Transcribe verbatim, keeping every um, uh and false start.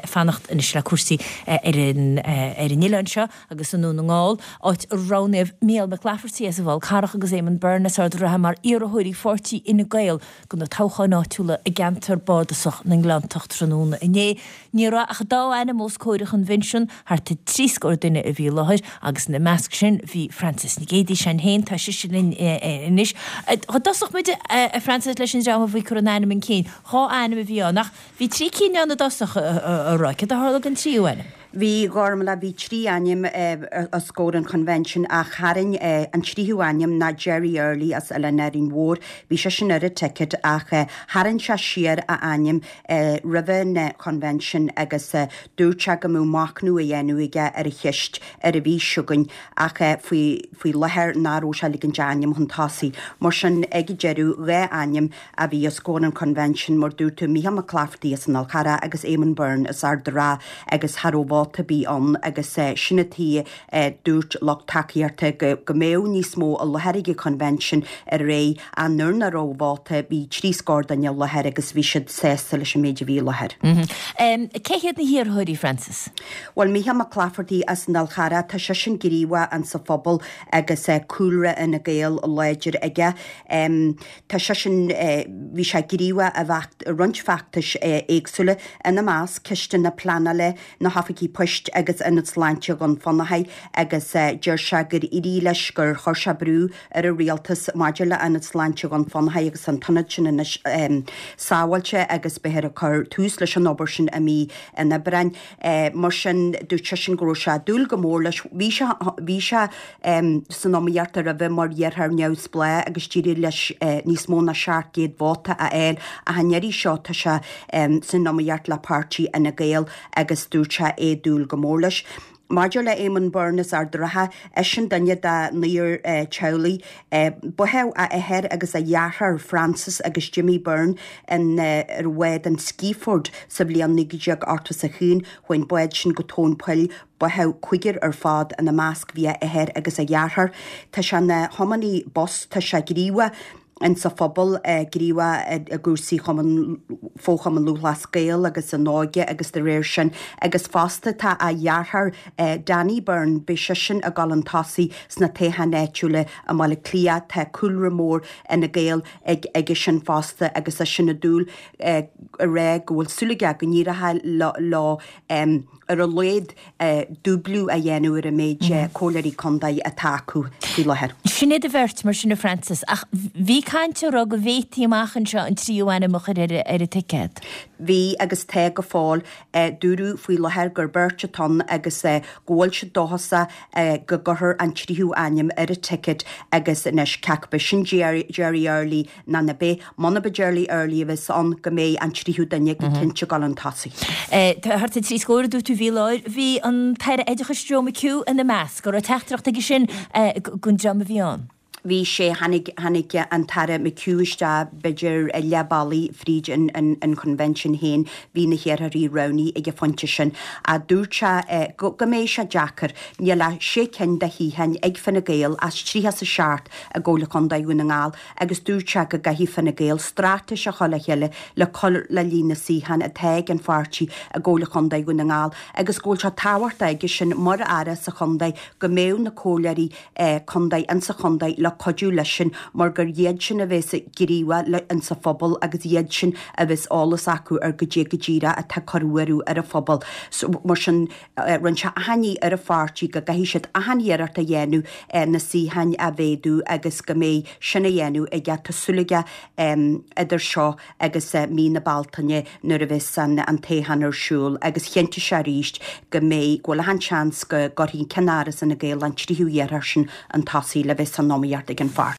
fanacht anois le cúrsaí ar an ar an oileán seo agus i nDún na nGall, áit a roghnaíodh Micheál McClafferty as an bhFál Carrach agus Éamonn Byrne as Ard an Rátha mar iarrthóirí pháirtí Fhine Gael do na toghcháin áitiúla i gceantar bardasach na nGleanntach tráthnóna inné. Ní raibh ach dá ainm os comhair an choinbhinsiúin, thart ar trí scór duine a bhí i láthair agus ina measc sin bhí Frances Nic Géadaigh sin féin, tá sise linn anois. Dá dtosódh muid a Frances leis an dream a bhí ag cur an ainm chun cinn, dhá ainm a bhí ann ach bhí trí cinn ann i dtosach a raibh, céard a tharla don tríú ainm? Bhí Gormlaith, bhí trí ainm os comhair an choinbhinsiúin ach tharraing an tríú ainm ná Jerry Early as Oileán Árainn Mhór. Bhí seisean ar an ticket ach tharraing sé siar a ainm roimh an choinbhinsiún agus dúirt sé go mbeadh machnamh á dhéanamh aige ar an cheist ar an mhí seo chugainn ach faoi faoi láthair nach raibh sé ag ligint a ainm chun tosaigh. Mar sin ag an deireadh dhá ainm a bhí os comhair an choinbhinsiúin mar dúirt tú Micheál McClafferty as an Fhál Carrach agus Éamonn Byrne as Ard an Rátha agus cha raibh vóta ar bith ann agus sin an tuige dúirt lucht tacaíochta go go mbeadh níos mó i láthair ag an choinbhinsiún aréir ach nuair nach raibh vóta bhí trí scór duine i láthair agus bhí siad sásta leis an méid a bhí i láthair. Cé hiad na hiarrthóirí, Frances? Bhuel Micheál McClafferty as an Fhál Charrach, tá seisean gníomhach insa phobal agus cúlra Fhine Gael láidir aige. Tá seisean, bhí sé gníomhach i roinnt feachtais éagsúla, ina measc ceisteanna pleanála, na hoifigí poist agus Ionad Sláinte Dhún Fionnachaidh agus deir sé gur éirigh leis gur chuir sé brú ar an rialtas maidir le Ionad Sláinte Dhún Fionnachaidh agus an t-ionad sin anois sábháilte agus beifear ag cur tús leis an obair sin i mí an Aibreáin. Mar sin dúirt seisean go raibh sé ag dúil go mór leis. Bhí sé bhí sé san iomaíocht roimhe mar iarrthóir neamhspleách agus d'éirigh leis níos mó ná seacht gcéad vóta a fháil ach an iarraidh seo tá sé san iomaíocht le páirtí Fhine Gael agus dúirt sé é ag dúil go mór leis. Maidir le Éamonn Byrne as Ard an Rátha, eisean duine de naonúr teaghlaigh. Báthadh a athair agus a dheartháir Francis agus Jimmy Byrne in ar bhád an Seaford sa bhliain naoi déag ochtó is a haon. Chuaigh an bád sin go tóin poill. Báthadh cúigear ar fad, ina measc bhí a athair agus a dheartháir. Tá sé ina thiománaí bus, tá sé gníomhach insa phobal, gníomhach i gcúrsaí Chumann, Fo-Chumann Lúthchleas Gael agus an óige agus de réir sin agus fosta tá a dheartháir Danny Byrne, beidh seisean ag dul chun tosaigh sna toghcháin áitiúla i mBaile Átha Cliath, tá cúlra mór Fhine Gael ag aige sin fosta agus eisean ag dúil ag rá go bhfuil súil aige go n-éireoidh leo ar a laghad dúblú a dhéanamh ar an méid comhairleoirí contae atá acu faoi láthair. Sin iad an bheirt, mar sin a Frances, ach bhí caint á rá go bhféadfaí amach anseo an tríú ainm a chur ar an ticéad. Bhí agus tá go fóill. Dúradh faoi láthair gur beirt atá ann agus go bhfuil siad dóchasach go gcuirfear an tríú ainm ar an ticket agus anois cé acu sin Jerry Early nó ná beidh. Muna be Jerry Early a bheas ann go mbeidh an tríú duine go cinnte ag dul chun tosaigh. Thart ar trí scór a dúirt tú a bhí i láthair. Bhí an tAire Oideachais Joe McHugh ina measc. An raibh teachtaireacht aige sin don dream a bhí ann? Bhí sé, tháinig, tháinig an tAire McHugh isteach b'fhéidir leath bealaigh fríd an, an, an choinbhinsiún féin, bhí na hiarrthóirí roghnaithe ag an phointe sin. Ach dúirt sé go, go mbeidh sé deacair. Níl ach sé cinn de shuíocháin ag Fine Gael as tríocha is a seacht i gComhairle Chontae Dhún na nGall agus dúirt sé go gcaithfidh Fine Gael straitéis a chur le chéile le cur le líon na suíochán atá ag an pháirtí i gComhairle Chontae Dhún na nGall agus go bhfuil sé tábhachtach aige sin mar Aire sa chontae go mbeadh na comhairleoirí contae insa chontae le cuidiú leis sin mar gur iad sin a bheas gníomhach insa phobal agus iad sin a bheas eolas acu ar goidé go díreach atá ag cur buartha ar an phobal. Mar sin rinne sé achainí ar an pháirtí go gcaithfidh siad achan iarracht a dhéanamh na suíocháin a mhéadú agus go mbeidh sin á dhéanamh aige, tá súil aige idir seo agus mí na Bealtaine nuair a bheas an toghchán ar siúl agus chinntigh sé arís go mbeidh, go bhfuil achan seans go gcuirfidh ceannáras Fhine Gael an tríú iarrthóir sin chun tosaigh le bheith san iomaíocht ag an pháirtí.